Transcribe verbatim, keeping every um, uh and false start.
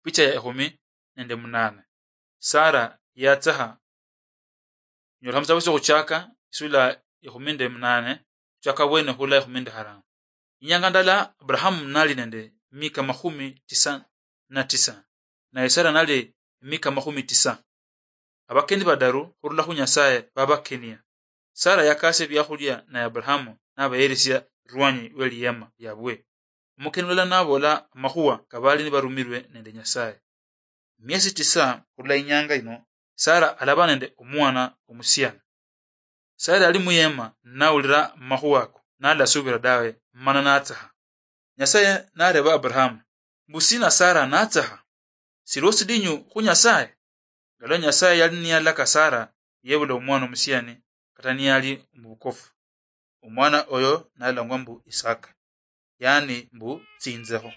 Picha ya ekhumi nende munane. Sara yatsaha. Nyola musabu syo khuchaka isula ekhumi nende munane, khuchaka bwene khula ekhumi nende harano. Inyanga ndala Abrahamu nali nende mika makhumi tisa na tisa, naye Sara nali mika makhumi tisa. Abakeni badaru khurula khu Nyasaye babakenia. Sara yakasia ebiakhulia, naye Abrahamu nabayeresia erwanyi we liyema liabwe. Omukeni mulala nabola amakhuwa kabali nibarumirwe nende Nyasaye. Miesi tisa khurula inyanga ino, Sara alaba nende omwana omusiani. Sara ali muyema nawulira amakhuwa ako, nalasubira dawe, mana natsaha. Nyasaye nareba Abrahamu, mbu sina Sara natsaha? Siliwo sidinyu khu Nyasaye? Ngalo Nyasaye yali niyalaka Sara yebula omwana omusiani, kata niyali mubukofu. Omwana oyo nalangwa mbu Isaka, yani mbu tsinzeho.